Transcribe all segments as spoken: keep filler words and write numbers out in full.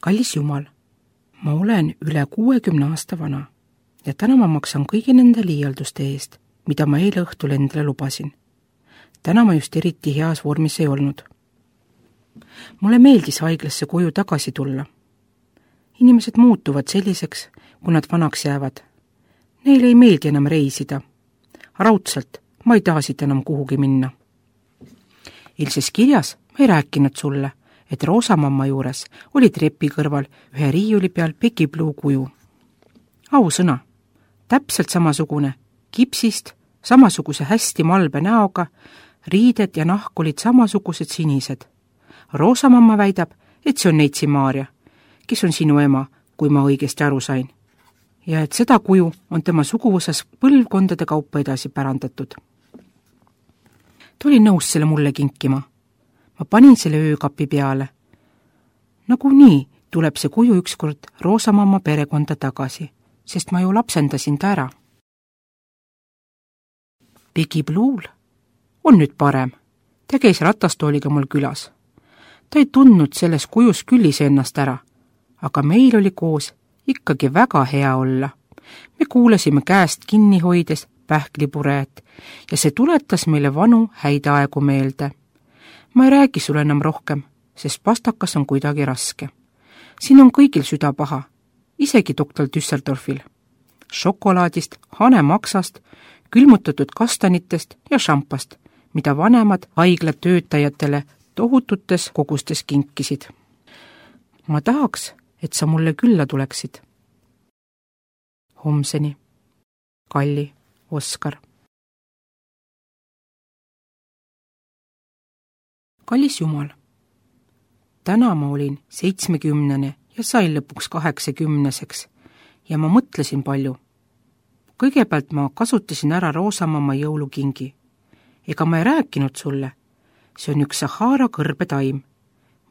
kallis Jumal, ma olen üle kuuekümne aasta vana ja täna ma maksan kõigi nende liialduste eest, mida ma eile õhtul endale lubasin. Täna ma just eriti heas vormis ei olnud. Mulle meeldis haiglasse koju tagasi tulla. Inimesed muutuvad selliseks, kui nad vanaks jäävad. Neile ei meeldi enam reisida. Raudselt ma ei taha siit enam kuhugi minna. Ilses kirjas ma ei rääkinud sulle, et Roosamamma juures oli trepi kõrval ühe riiuli peal Becky Blue kuju. Ausõna, täpselt samasugune, kipsist, samasuguse hästi malbe näoga, riided ja nahk olid samasugused sinised. Roosamamma väidab, et see on Neitsi Maarja, kes on sinu ema, kui ma õigesti aru sain. Ja et seda kuju on tema suguvõsas põlvkondade kaupa edasi pärandatud. Ta oli nõus selle mulle kinkima. Ma panin selle öökapi peale. Nagu nii tuleb see kuju ükskord Roosamamma perekonda tagasi, sest ma ju lapsendasin ta ära. Becky Blue'l on nüüd parem. Ta käis ratastooliga mul külas. Ta ei tundnud selles kujus küllis ennast ära, aga meil oli koos ikkagi väga hea olla. Me kuulasime käest kinni hoides pähklipurejat ja see tuletas meile vanu häid aegu meelde. Ma ei räägi sulle enam rohkem, sest pastakas on kuidagi raske. Siin on kõigil süda paha, isegi doktor Düsseldorfil. Šokolaadist, hanemaksast, külmutatud kastanitest ja šampast, mida vanemad haigla töötajatele tohututes kogustes kinkisid. Ma tahaks, et sa mulle külla tuleksid. Homseni. Kalli Oskar. Kallis Jumal, täna ma olin seitsmekümnene ja sain lõpuks kaheksakümneseks ja ma mõtlesin palju. Kõigepealt ma kasutasin ära Roosamamma jõulukingi. Ega ma ei rääkinud sulle. See on üks Sahara kõrbetaim,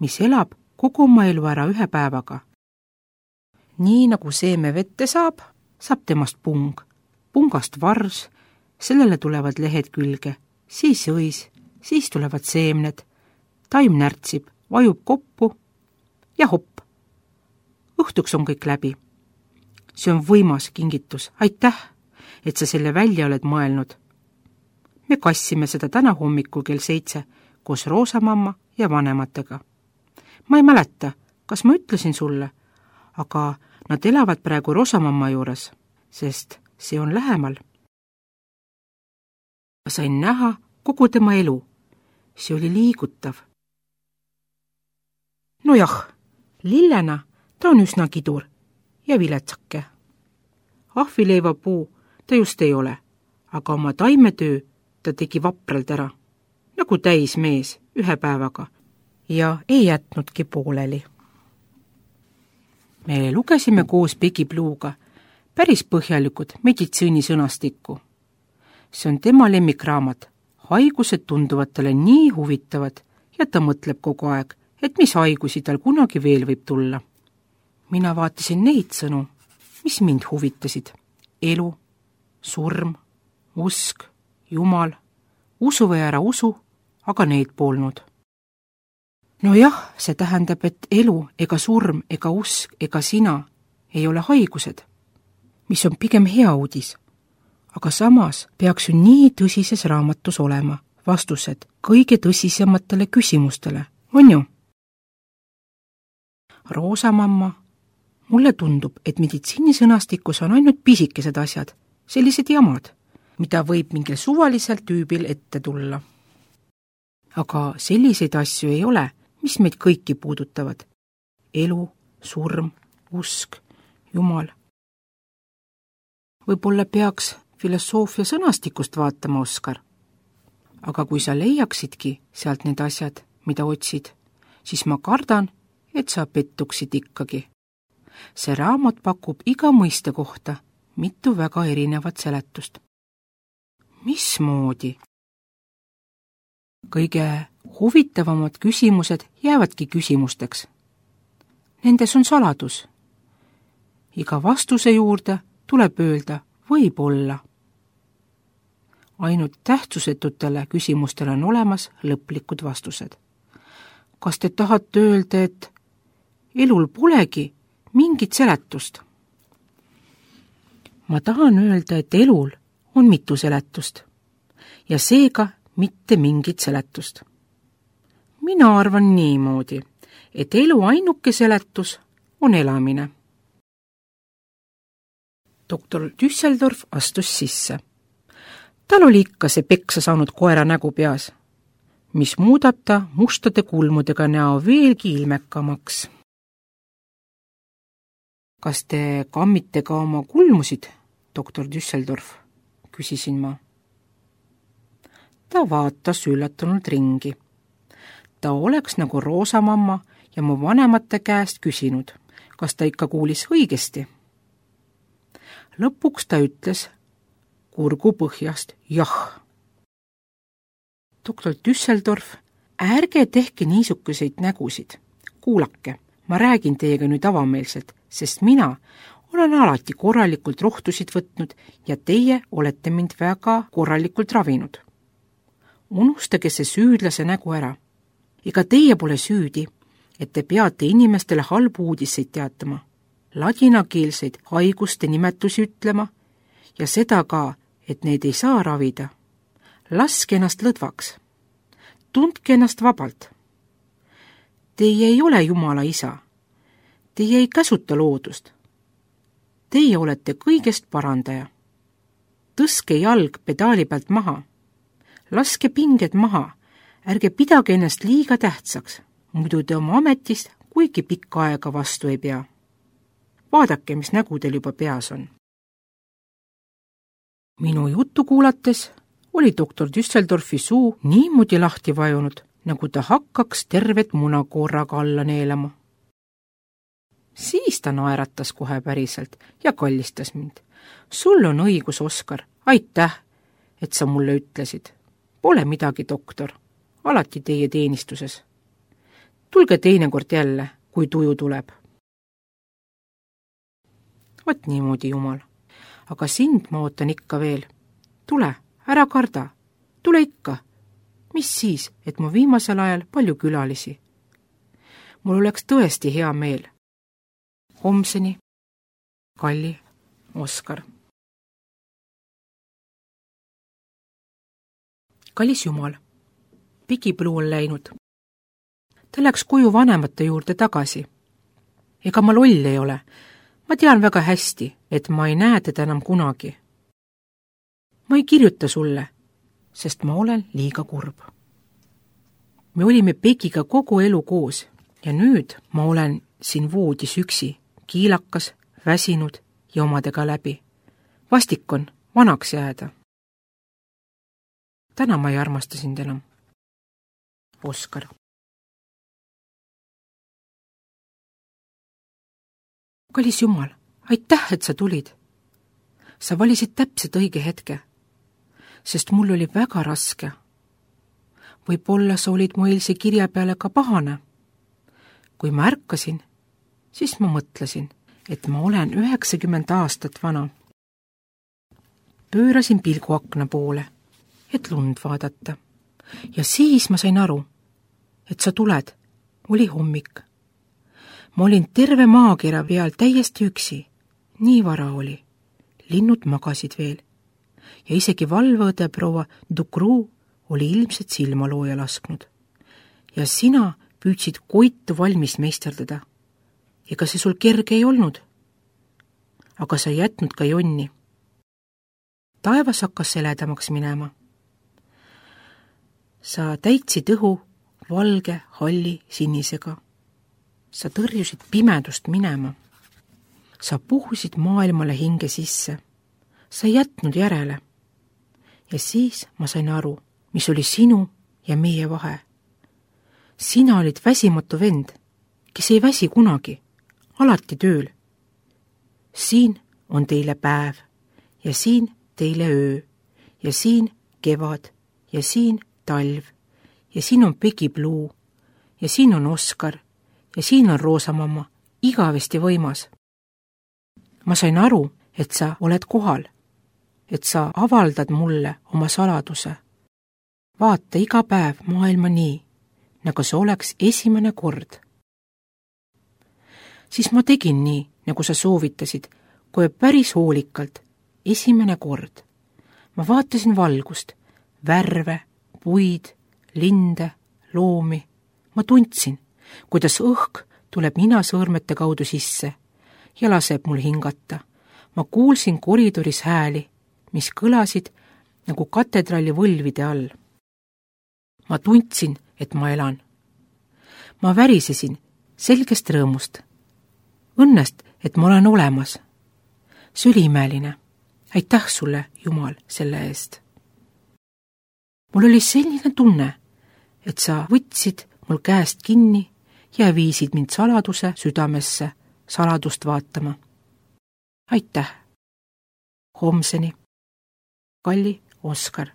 mis elab kogu oma elu ära ühe päevaga. Nii nagu seeme vette saab, saab temast pung. Pungast vars, sellele tulevad lehed külge, siis õis, siis tulevad seemned. Taim närtsib, vajub koppu ja hopp. Õhtuks on kõik läbi. See on võimas kingitus. Aitäh, et sa selle välja oled mõelnud. Me kassime seda täna hommikul kell seitse koos Roosamamma ja vanematega. Ma ei mäleta, kas ma ütlesin sulle, aga nad elavad praegu Roosamamma juures, sest see on lähemal. Ma sain näha kogu tema elu. See oli liigutav. Nojah, lillena ta on üsna kidur ja viletsake. Ahvileiva puu ta just ei ole, aga oma taimetöö ta tegi vapralt ära, nagu täis mees ühe päevaga ja ei jätnudki pooleli. Me lugesime koos Becky Blue'ga päris põhjalikud meditsiinisõnastikku. See on tema lemmikraamat. Haigused tunduvad talle nii huvitavad ja ta mõtleb kogu aeg, et mis haigusi tal kunagi veel võib tulla. Mina vaatasin neid sõnu, mis mind huvitasid. Elu, surm, usk, Jumal, usu või ära usu, aga neid polnud. No jah, see tähendab, et elu ega surm ega usk ega sina ei ole haigused, mis on pigem hea uudis. Aga samas peaks ju nii tõsises raamatus olema vastused kõige tõsisematele küsimustele, on ju? Roosamamma, mulle tundub, et meditsiinisõnastikus on ainult pisikesed asjad, sellised jamad, mida võib mingil suvalisel tüübil ette tulla. Aga selliseid asju ei ole, mis meid kõiki puudutavad. Elu, surm, usk, Jumal. Võib-olla peaks filosoofia sõnastikust vaatama, Oskar. Aga kui sa leiaksidki sealt need asjad, mida otsid, siis ma kardan, et sa pettuksid ikkagi. See raamat pakub iga mõiste kohta mitu väga erinevat seletust. Mismoodi? Kõige huvitavamad küsimused jäävadki küsimusteks. Nendes on saladus. Iga vastuse juurde tuleb öelda võib-olla. Ainult tähtsusetutele küsimustele on olemas lõplikud vastused. Kas te tahate öelda, et elul polegi mingit seletust. Ma tahan öelda, et elul on mitu seletust ja seega mitte mingit seletust. Mina arvan niimoodi, et elu ainuke seletus on elamine. Doktor Düsseldorf astus sisse. Tal oli ikka see peksa saanud koera nägu peas, mis muudab ta mustade kulmudega näo veelgi ilmekamaks. Kas te kammite ka oma kulmusid, doktor Düsseldorf, küsisin ma. Ta vaatas üllatunult ringi. Ta oleks nagu roosamamma ja mu vanemate käest küsinud, kas ta ikka kuulis õigesti. Lõpuks ta ütles kurgu põhjast jah. Doktor Düsseldorf, ärge tehke niisuguseid nägusid. Kuulake, ma räägin teiega nüüd avameelselt, sest mina olen alati korralikult rohtusid võtnud ja teie olete mind väga korralikult ravinud. Unustage see süüdlase nägu ära. Ega teie pole süüdi, et te peate inimestele halbu uudiseid teatama, ladinakeelseid haiguste nimetusi ütlema ja seda ka, et neid ei saa ravida. Laske ennast lõdvaks. Tundke ennast vabalt. Teie ei ole Jumala isa. Teie ei käsuta loodust. Teie olete kõigest parandaja. Tõske jalg pedaali pealt maha. Laske pinged maha. Ärge pidage ennast liiga tähtsaks. Muidu te oma ametist kuigi pikka aega vastu ei pea. Vaadake, mis nägu teil juba peas on. Minu juttu kuulates oli doktor Düsseldorfi suu niimoodi lahti vajunud, nagu ta hakkaks tervet munakoorraga alla neelama. Siis ta naeratas kohe päriselt ja kallistas mind. Sul on õigus, Oskar, aitäh, et sa mulle ütlesid. Pole midagi, doktor, alati teie teenistuses. Tulge teinekord jälle, kui tuju tuleb. Vot niimoodi, Jumal. Aga sind ma ootan ikka veel. Tule, ära karda. Tule ikka. Mis siis, et mu viimasel ajal palju külalisi? Mul oleks tõesti hea meel. Homseni, Kalli, Oskar. Kallis Jumal, Pigipõlu on läinud. Ta läks koju vanemate juurde tagasi. Ega ma loll ei ole. Ma tean väga hästi, et ma ei näe teda enam kunagi. Ma ei kirjuta sulle, sest ma olen liiga kurb. Me olime Pegiga kogu elu koos ja nüüd ma olen siin voodis üksi, kiilakas, väsinud ja omadega läbi. Vastik on vanaks jääda. Täna ma ei armasta sind enam. Oskar. Kallis Jumal, aitäh, et sa tulid. Sa valisid täpselt õige hetke, sest mul oli väga raske. Võib-olla sa olid mu eilse kirja peale ka pahane. Kui ma ärkasin, siis ma mõtlesin, et ma olen üheksakümmend aastat vana. Pöörasin pilgu akna poole, et lund vaadata. Ja siis ma sain aru, et sa tuled. Oli hommik. Ma olin terve maakera peal täiesti üksi. Nii vara oli. Linnud magasid veel. Ja isegi valveõde proua Ducru oli ilmselt silmalooja lasknud. Ja sina püüdsid koitu valmis meisterdada. Ega see sul kerge ei olnud. Aga sa ei jätnud ka jonni. Taevas hakkas seledamaks minema. Sa täitsid õhu valge, halli, sinisega. Sa tõrjusid pimedust minema. Sa puhusid maailmale hinge sisse. Sa ei jätnud järele. Ja siis ma sain aru, mis oli sinu ja meie vahe. Sina olid väsimatu vend, kes ei väsi kunagi, alati tööl. Siin on teile päev ja siin teile öö ja siin kevad ja siin talv ja siin on Pigipõlu ja siin on Oskar ja siin on Roosamamma, igavesti võimas. Ma sain aru, et sa oled kohal, et sa avaldad mulle oma saladuse. Vaata iga päev maailma nii, nagu see oleks esimene kord. siis ma tegin nii, nagu sa soovitasid, kohe päris hoolikalt, esimene kord. ma vaatasin valgust, värve, puid, linde, loomi. ma tundsin, kuidas õhk tuleb ninasõõrmete kaudu sisse ja laseb mul hingata. ma kuulsin koridoris hääli, mis kõlasid nagu katedraali võlvide all. ma tundsin, et ma elan. ma värisesin selgest rõõmust. Õnnest, et ma olen olemas. See oli imeline. Aitäh sulle, Jumal, selle eest. mul oli selline tunne, et sa võtsid mul käest kinni ja viisid mind saladuse südamesse saladust vaatama. Aitäh. Homseni. Kalli Oskar.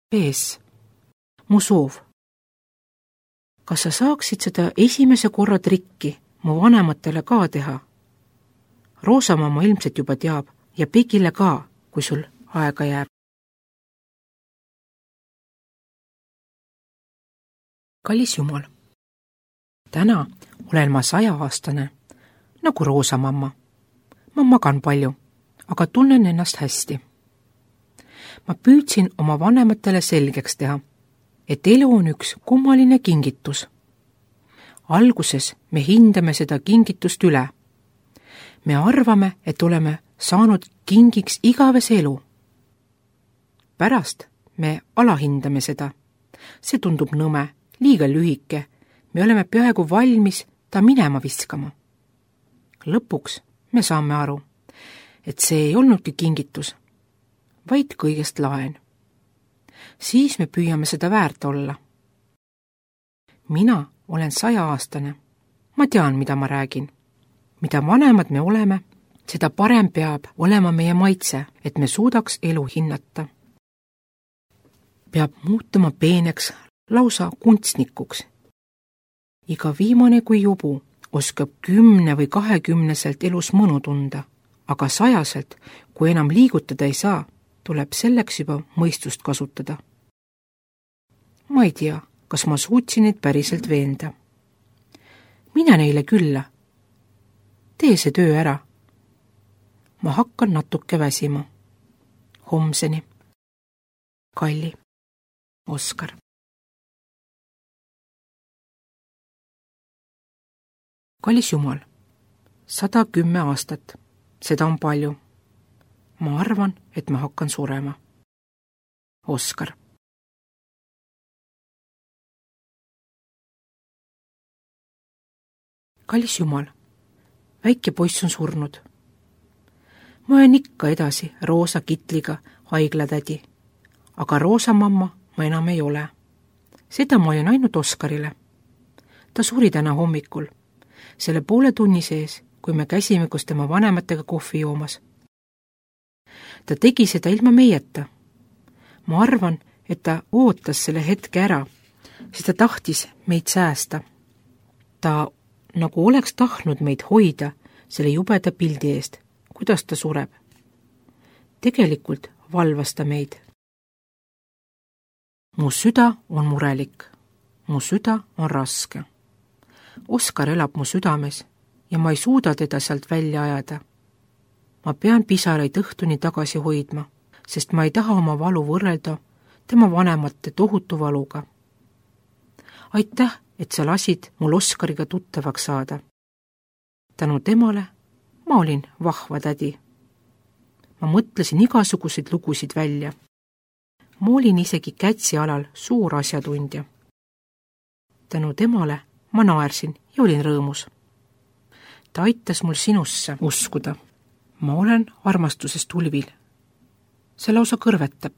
Pees. Mu soov. Kas sa saaksid seda esimese korra trikki mu vanematele ka teha? Roosamamma ilmselt juba teab ja Pegile ka, kui sul aega jääb. Kallis Jumal, täna olen ma sajaaastane, nagu Roosamamma. ma magan palju, aga tunnen ennast hästi. ma püüdsin oma vanematele selgeks teha, et elu on üks kummaline kingitus. Alguses me hindame seda kingitust üle. Me arvame, et oleme saanud kingiks igavese elu. Pärast me alahindame seda. See tundub nõme, liiga lühike. Me oleme peaaegu valmis ta minema viskama. Lõpuks me saame aru, et see ei olnudki kingitus, vaid kõigest laen. Siis me püüame seda väärt olla. Mina olen sajaaastane. Ma tean, mida ma räägin. Mida vanemad me oleme, seda parem peab olema meie maitse, et me suudaks elu hinnata. Peab muutuma peeneks, lausa kunstnikuks. Iga viimane kui jubu oskab kümne või kahekümneselt elus mõnu tunda, aga sajaselt, kui enam liigutada ei saa, tuleb selleks juba mõistust kasutada. Ma ei tea, kas ma suutsin neid päriselt veenda. Mine neile külla. Tee see töö ära. Ma hakkan natuke väsima. Homseni. Kalli Oskar. Kallis Jumal, sada kümme aastat. Seda on palju. Ma arvan, et ma hakkan surema. Oskar. Kallis Jumal, väike poiss on surnud. Ma olen ikka edasi roosa kitliga haiglatädi, aga Roosamamma ma enam ei ole. Seda ma olin ainult Oskarile. Ta suri täna hommikul, selle poole tunni sees, kui me käisime koos tema vanematega kohvi joomas. Ta tegi seda ilma meieta. Ma arvan, et ta ootas selle hetke ära, sest ta tahtis meid säästa. Ta nagu oleks tahtnud meid hoida selle jubeda pildi eest, kuidas ta sureb. Tegelikult valvas ta meid. Mu süda on murelik. Mu süda on raske. Oskar elab mu südames ja ma ei suuda teda sealt välja ajada. Ma pean pisaraid õhtuni tagasi hoidma, sest ma ei taha oma valu võrrelda tema vanemate tohutu valuga. Aitäh, et sa lasid mul Oskariga tuttavaks saada. Tänu temale ma olin vahva tädi. Ma mõtlesin igasuguseid lugusid välja. Ma olin isegi Kätsi alal suur asjatundja. Tänu temale ma naersin ja olin rõõmus. Ta aitas mul sinusse uskuda. Ma olen armastusest tulvil. See lausa kõrvetab.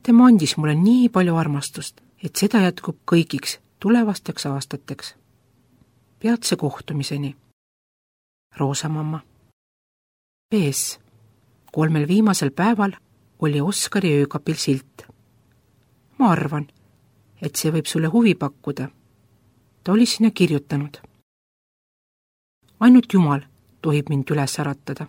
Tema andis mulle nii palju armastust, et seda jätkub kõigiks tulevasteks aastateks. Peatse kohtumiseni. Roosamamma. Pees. Kolmel viimasel päeval oli Oskari öökapil silt. Ma arvan, et see võib sulle huvi pakkuda. Ta oli sinna kirjutanud. Ainult Jumal tohib mind üles äratada.